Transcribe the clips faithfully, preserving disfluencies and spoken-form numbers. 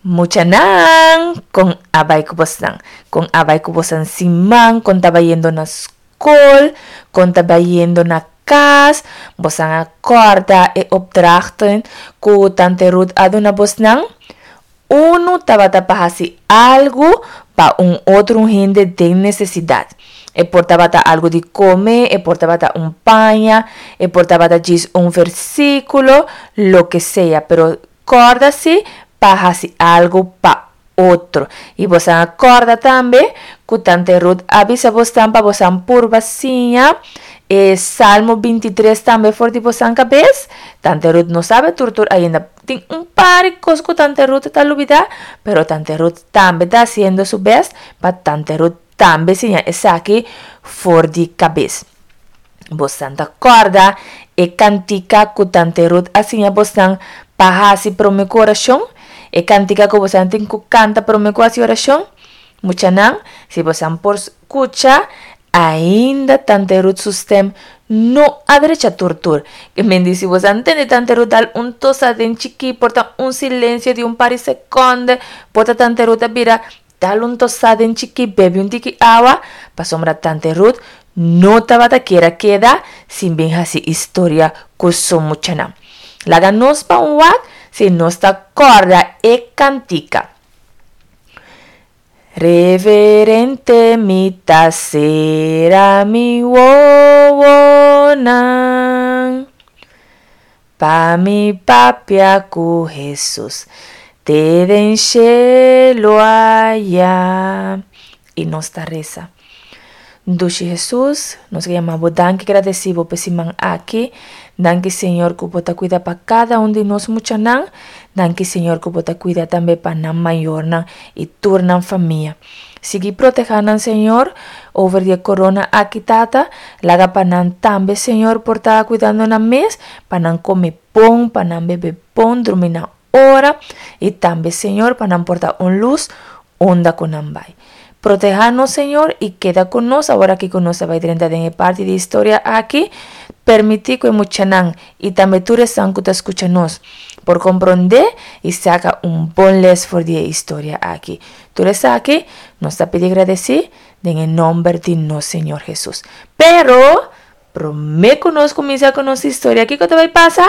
Muchanan, kon a bai ku bosnan. Kon a bai ku bosnan siman, kon ta bayendo na skol, kon ta bayendo na kas. Bosnan a kòrda e opdrachten ku tante Ruth a duna bosnan. Unu tabata pa hasi algu pa un otro hende den nesesidat. E por tabata algu di kome, e por tabata un paña, e por tabata djis un versíkulo, loke sea. Pero kòrda si pa hasi algu pa otro. I bosnan a kòrda tambe ku tante Ruth a bisa bosnan pa bosnan purba siña e Salmo bintitres tambe for di bosnan kabes. Tante Ruth no sabe tur tur ainda. Tin un par di kos ku tante Ruth ta lubidá, pero tante Ruth tambe ta hasiendo su bèst pa tante Ruth tambe siña esaki for di kabes. Bosnan ta kòrda e kantika ku tante Ruth a siña bosnan pa hasi promé ku orashon? E kantika ku bosnan tin ku kanta promé ku hasi orashon? Muchanan, si bosnan por skucha, ainda tante Ruth su stèm no a drecha tur tur. Ke men di si bosnan tende tante Ruth dal un tosa den chikí, por ta un silensio di un par di sekònde, por ta tante Ruth a bira dal un tosa den chikí, bebe un tiki awa, pasobra tante Ruth no tabata kier a keda sin bin hasi historia ku su muchanan. Laga nos pa un wak si nos ta kòrda e kantika. Reverente mi ta sera mi wowonan pa mi papia ku Hesus te den shelu aya. I nos ta resa. Dushi Hesus, nos ke yama bo danki gradesi bo p'e siman aki. Danki Señor ku bo ta kuida pa kada un di nos muchanan. Danki Señor ku bo ta kuida tambe pa nan mayornan i tur nan famia. Sigui proteha nan Señor over di e corona aki Tata. Laga pa nan tambe Señor por ta kuidando nan mes, pa nan kome bon, pa nan bebe bon, drumi na ora i tambe Señor pa nan por ta un lus unda ku nan bai. Proteha nos Señor i keda ku nos awor aki ku nos ta bai drenta den e parti di historia aki. Permiti ku e muchanan i tambe tur esnan ku ta skucha nos por komprondé i saka un bon les for di e historia aki. Tur esaki nos ta pidi gradesí den e nomber di nos Señor Hesus. Pero promé ku nos kuminsá ku nos historia, kiko ta bai pasa?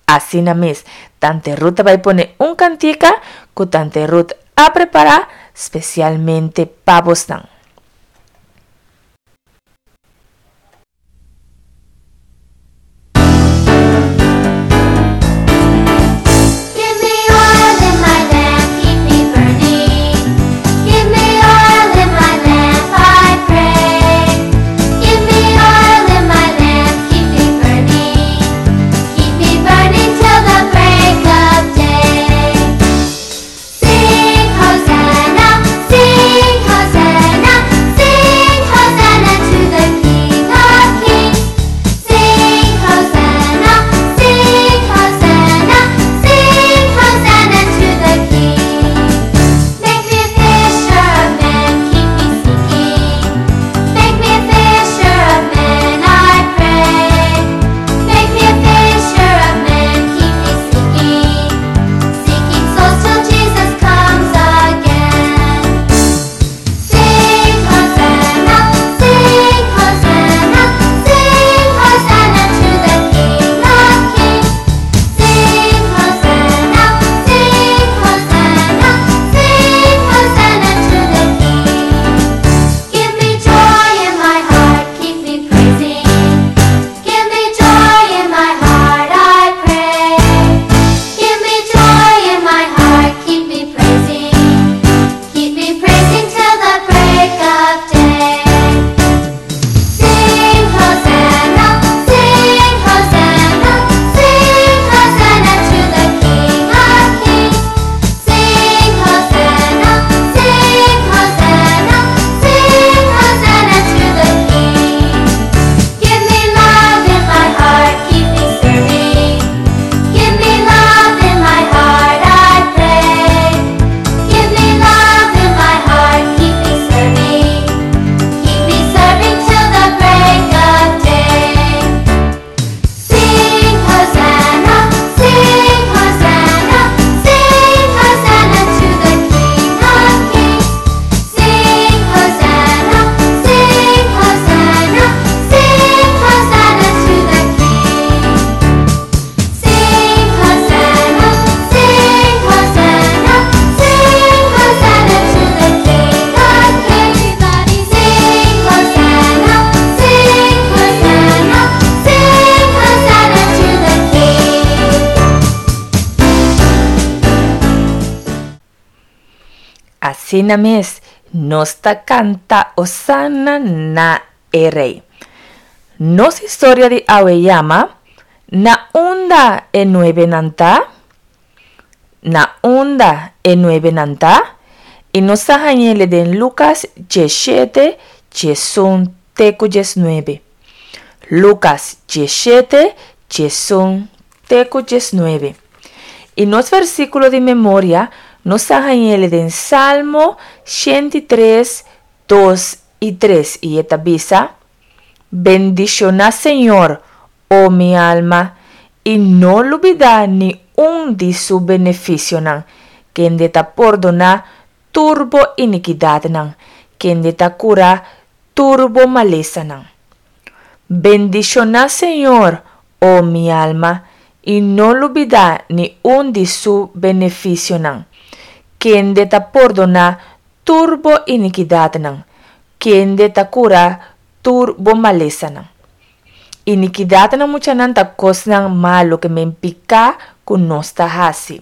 Asina mes, tante Ruth ta bai pone un kantika ku tante Ruth a prepará spesialmente pa bosnan. Give me oil in my lamp, keep me burning. Give me oil in my lamp, I pray. Give me oil in my lamp, keep me burning. Keep me burning till the break of day. Sing Hosanna, sing Hosanna. Asina mes, nos ta kanta Osana na e Rei. Nos historia di awe yama Na unda e nuebenan ta? Na unda e nuebenan ta? I nos ta hañ'ele den Lukas diesshete, diesun te ku diesnuebe. Lukas diesshete, diesun te ku diesnuebe. I nos versíkulo di memoria nos ta hañ'ele den Salmo shenti tres, dos i tres i e ta bisa, Bendishoná Señor, o mi alma, i no lubidá ni un di su benefisionan, kende ta pordoná tur bo inikidatnan, kende ta kura tur bo malesanan. Bendishoná Señor, o mi alma, i no lubidá ni un di su benefisionan, kende ta pordoná tur bo inikidatnan, kende ta kura tur bo malesanan. Inikidatnan muchanan ta kosnan malu ke men piká ku nos ta hasi.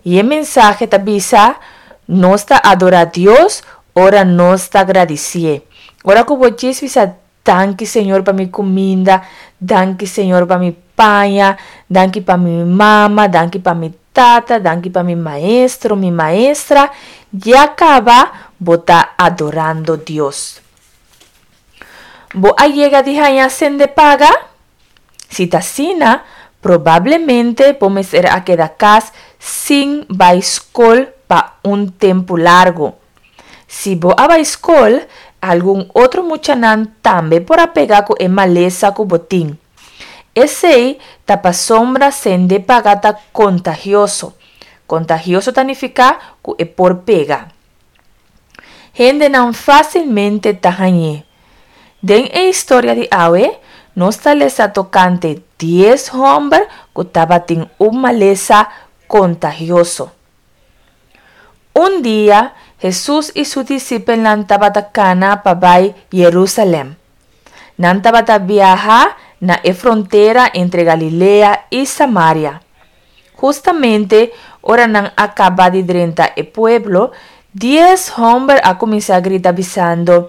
I e mensahe ta bisa, nos ta adorá Dios ora nos ta gradisié. Ora ku bo djis bisa danki Señor pa mi kuminda, danki Señor pa mi paña, danki pa mi mama, danki pa mi tata, danki pa mi maestro, mi maestra, ya kaba bo ta adorando Dios. Bo a yega di haña sende paga? Si ta asina, probablemente bo mester a keda kas sin bai skol pa un tempu largu. Si bo a bai skol, algun otro muchanan tambe por a pega ku e malesa ku bo tin. Esei ta pasobra sende paga ta kontagioso. Kontagioso ta nifiká ku e por pega. Hendenan fásilmente ta hañ'é. Den e historia di awe, nos ta lesa tokante dies hòmber ku tabatin un malesa kontagioso. Un dia, Hesus i su disipelnan tabata kana pa bai Yerusalèm. Nan tabata biaha na e frontera entre Galilea i Samaria. Hustamente ora nan a kaba di drenta e pueblo, dies hòmber a kuminsá grita bisando,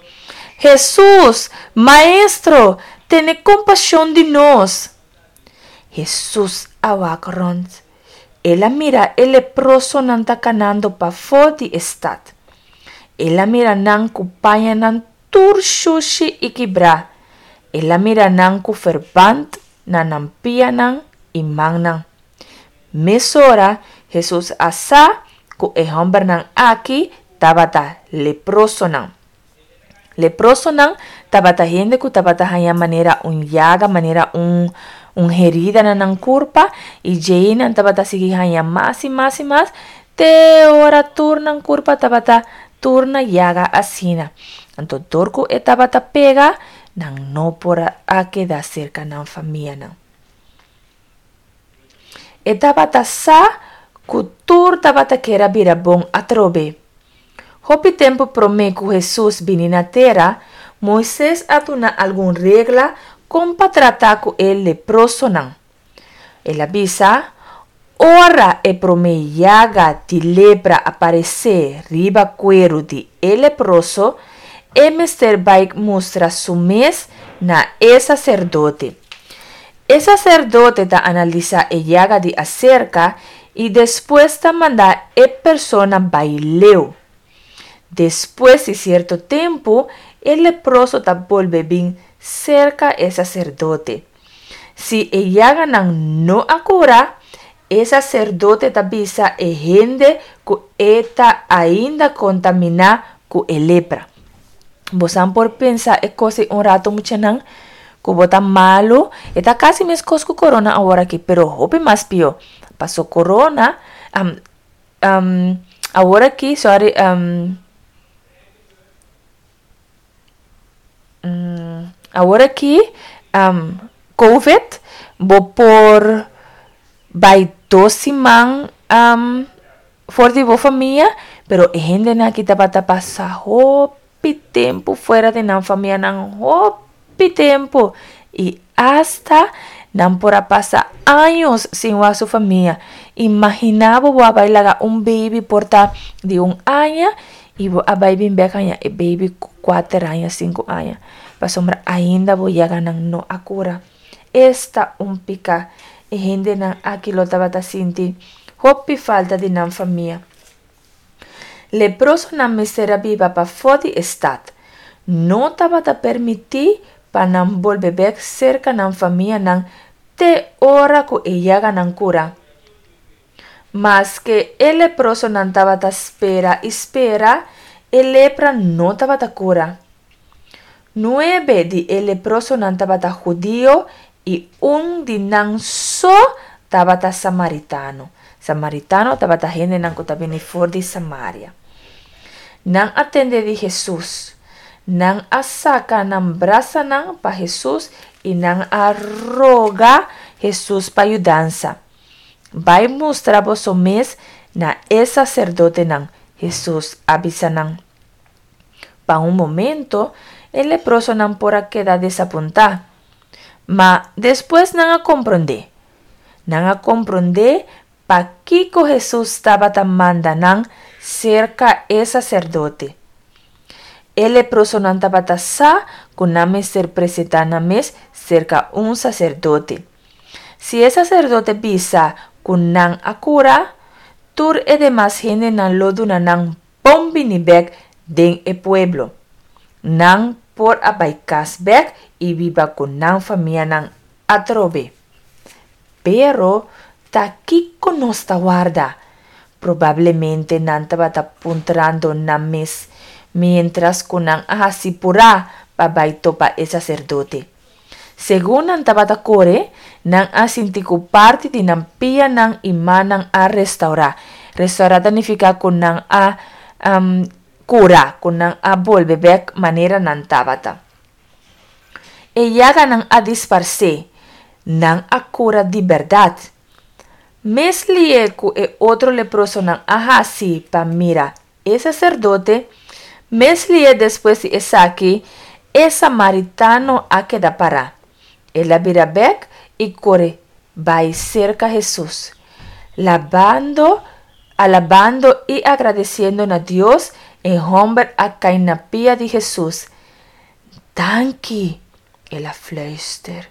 Hesus, Maestro, tene kompashon di nos! Hesus a wak rònt. El a mira e leprosonan ta kanando pafó di e stat. El a mira nan ku pañanan tur shushi i kibrá. El a mira nan ku ferbant na nan pianan i mannan. Mesora Hesus a sa ku e hòmbernan aki tabata leprosonan. Leprosonan tabata hende ku tabata haña manera un yaga, manera un un herida na nan kurpa i djei nan tabata sigui haña mas i mas i mas te ora tur nan kurpa tabata tur na yaga asina. Anto dor ku e tabata pega, nan no por a keda serka nan famianan. E tabata sa ku tur tabata kier a bira bon atrobe. Hopi tempu promé ku Hesus bini na tera, Moises a duna algun regla kon pa trata ku e leprosonan. El a bisa, Ora e promé yaga di lepra aparesé riba kueru di e leproso, e mester bai mustra su mes na e saserdote. E saserdote ta analisá e yaga di aserka i despues ta manda e persona bai leu. Despues di sierto tempu, e leproso ta bolbe bin serka e saserdote. Si e yaganan no a kura, e saserdote ta bisa e hende ku e ta ainda kontaminá ku e lepra. Bosan por pensa e kos ei un rato muchanan, ku bo ta malu, e ta kasi meskos ku korona awor aki, pero hopi mas pió. Paso korona, awor aki, sorry, awor aki, covid, bo por bai dos siman for di bo famia, pero e hendenan aki tabata pasa hopi tempu fuera di nan famianan, hopi tempu i asta nan por a pasa años sin wak su famia. Imagina bo bo a bai laga un baby por ta di un aña I bo a bai bin bek haña e baby ku kuater aña, sinku aña. Pasobra ainda bo yaganan no a kura. Esta un pika e hendenan aki lo tabata sinti! Hopi falta di nan famia. Leprosonan mester a biba pafó di e stat. No tabata permití pa nan bolbe bèk serka nan famianan te ora ku e yaganan kura. Maske e leprosonan tabata spera i spera, e lepra no tabata kura. Nuebe di e leprosonan tabata hudio i un di nan so tabata samaritano. Samaritano tabata hendenan ku ta bini for di Samaria. Nan a tende di Hesus. Nan a saka nan brasanan pa Hesus i nan a roga Hesus pa yudansa. Bai mustra boso mes na e saserdotenan, Hesus a bisa nan. Pa un momento, e leprosonan por a keda desapuntá. Ma despues nan a komprondé. Nan a komprondé pakiko Hesus tabata manda nan serka e saserdote. E leprosonan tabata sa ku nan mester presentá nan mes serka un saserdote. Si e saserdote bisa ku nan a kura, tur e demas hendenan lo duna nan bon bini bèk den e pueblo. Nan por a bai kas bèk i biba ku nan famianan atrobe. Pero, ta kiko nos ta warda? Probablemente nan tabata puntrando nan mes miéntras ku nan a hasi purá pa bai topa e saserdote. Segun nan tabata kore, nan a sinti ku parti di nan pianan i mannan a restourá. Restourá ta nifiká ku nan a kura, ku nan a bolbe bèk manera nan tabata. E yaganan a disparsé. Nan a kura di bèrdat. Mes lié ku e otro leprosonan a hasi pa mira e saserdote, mes lié despues di esaki e samaritano a keda pará. El a bira bèk i kore bai serka Hesus. Labando, alabando i agradesiendo na Dios, e hòmber a kai na pia di Hesus. Danki! El a fluister.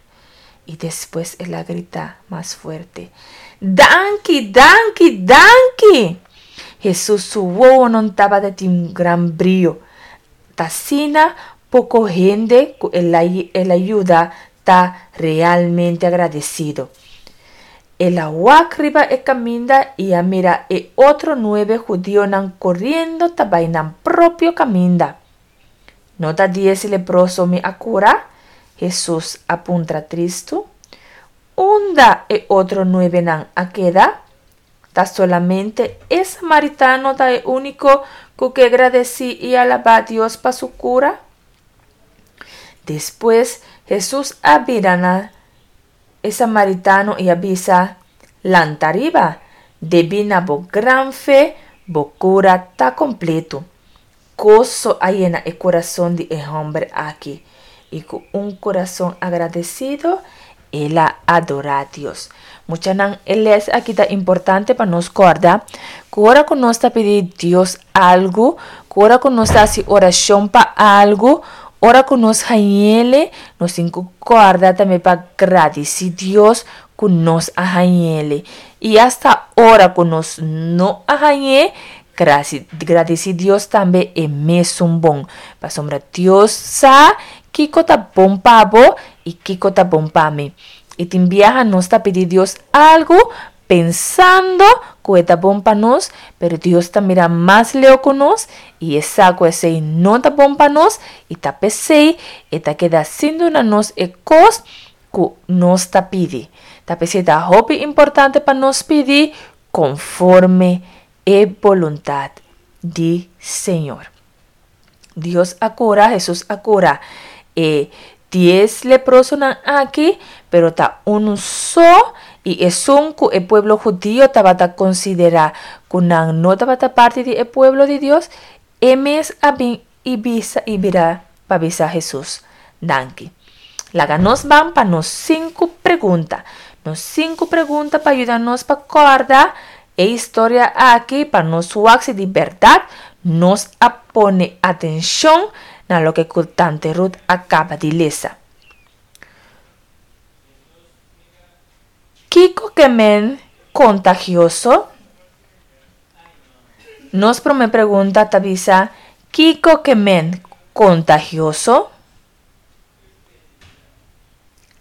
I despues el a grita mas fuerte, Danki, danki, danki! Hesus su wowonan tabata tin un gran brio. Ta asina poko hende ku el a yuda ta realmente agradesido. El a wak riba e kaminda i a mira e otro nuebe hudionan koriendo ta bai nan propio kaminda. No ta dies leproso mi a kura? Hesus a puntra tristu. Unda e otro nuebenan a keda? Ta solamente e samaritano ta e úniko ku ke gradesí i alabá Dios pa su kura? Despues Hesus a bira na e samaritano i a bisa, Lanta riba, debí na bo gran fe bo kura ta kompletu. Goso a yena e kurason di e hòmber aki, i ku un kurason agradesido el a adorá Dios. Muchanan, e lès aki ta importante pa nos kòrda ku ora ku nos ta pidi Dios algu, ku ora ku nos ta hasi orashon pa algu, ora ku nos hañ'ele, nos tin ku kòrda tambe pa gradisí Dios ku nos a hañ'ele. I asta ora ku nos no a hañ'é, gradisí Dios tambe e mesun bon. Pasobra Dios sa kiko ta bon pa bo i kiko ta bon pa mi. I tin biaha nos ta pidi Dios algu pensando ku e ta bon pa nos, pero Dios ta mira mas leu ku nos i e sa ku esei no ta bon pa nos i ta p'esei e ta keda sin duna nos e kos ku nos ta pidi. Ta p'esei ta hopi importante pa nos pidi konforme e boluntat di Señor. Dios a kura, Hesus a kura e dies leprosonan aki, pero ta unu so i esun ku e pueblo hudio tabata konsiderá ku nan no tabata parti di e pueblo di Dios, e mes a bin i bisa i bira pa bisa Hesus danki. Laga nos ban pa nos sinku pregunta. Nos sinku pregunta pa yuda nos pa kòrda e historia aki pa nos wak si di bèrdat Nos a pone atenshon na loke ku Tante Ruth a kaba di lesa. Kiko ke men kontagioso? Nos promé pregunta ta bisa, Kiko ke men kontagioso?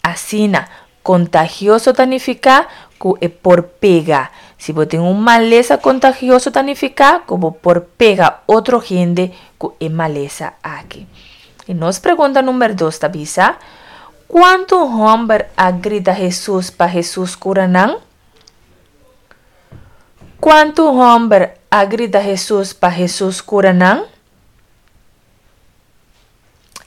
Asina, kontagioso ta nifiká ku e por pega. Si bo tin un malesa kontagioso ta nifiká ku bo por pega otro hende ku e malesa aki. I nos pregunta number dos ta bisa, Kuantu hòmber a grita Hesus pa Hesus kura nan? Kuantu hòmber a grita Hesus pa Hesus kura nan?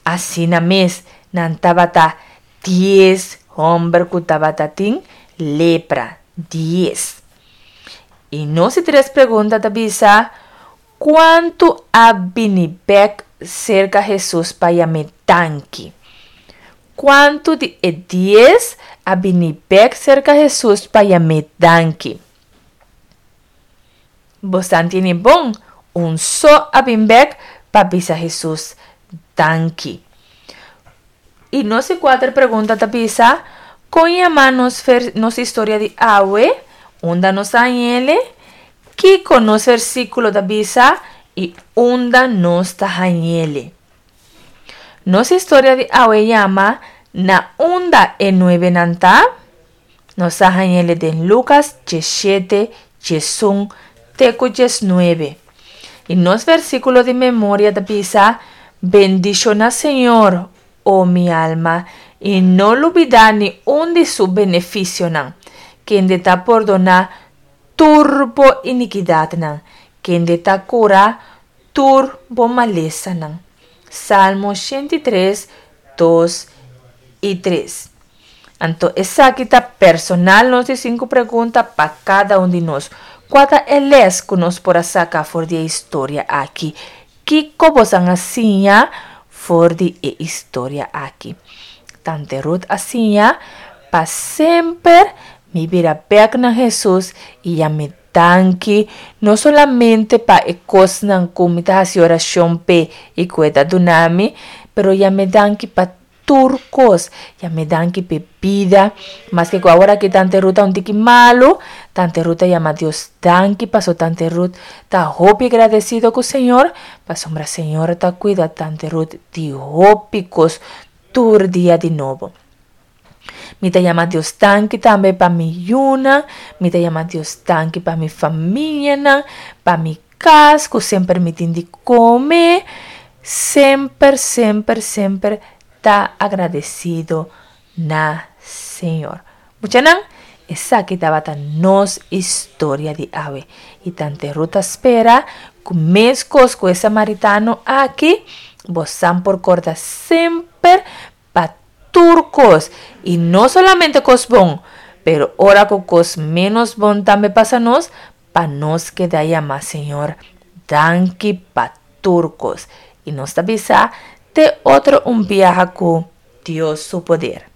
Asina mes, nan tabata dies hòmber ku tabata tin lepra. Dies. I nos di tres pregunta ta bisa, Kuantu a bini bèk serka Hesus pa yam'é danki? Kuantu di e dies a bini bèk serka Hesus pa yam'é danki? Bosan tene bon, un so a bin bèk pa bisa Hesus danki. I nos di kuater pregunta ta bisa, Kon yama nos nos historia di awe? Unda nos a hañ'ele? Kiko nos versíkulo ta bisa i unda nos ta hañ'ele? Nos historia di awe yama Na unda e nuebenan ta? Nos a hañ'ele den Lukas diesshete, diesun te ku diesnuebe. I nos versíkulo di memoria ta bisa, Bendishoná Señor, o mi alma, i no lubidá ni un di su benefisionan, kende ta pordoná tur bo inikidatnan, kende ta kura tur bo malesanan. Salmo shenta i tres, dos i tres. Anto esaki ta personal nos di sinku pregunta pa kada un di nos. Kua ta e lès ku nos por a saka for di e historia aki? Kiko bosan a siña for di e historia aki? Tante Ruth a siña pa semper mi bira bèk na Hesus i yam'é danki, no solamente pa e kosnan ku mi ta hasi orashon p'e i ku e ta duna mi, pero yam'é danki pa tur kos. Yam'é danki p'e bida. Maske ku awor aki Tante Ruth ta un tiki malu, Tante Ruth ta yama Dios danki paso Tante Ruth ta hopi gradesido ku Señor, pasobra Señor ta kuida Tante Ruth di hopi kos tur dia di nobo. Mi ta yama Dios danki tambe pa mi yunan, mi ta yama Dios danki pa mi famianan, pa mi kas ku semper mi tin di kome. Semper, semper, semper ta agradesido na Señor. Muchanan, esaki tabata nos historia di awe. I Tante Ruth ta spera ku meskos ku e samaritano aki, bosan por korda semper pa tur kos, i no solamente kos bon, pero ora ku kos ménos bon tambe pasa nos, pa nos keda yama Señor danki pa tur kos. I nos ta bisa te otro un biaha ku Dios su poder.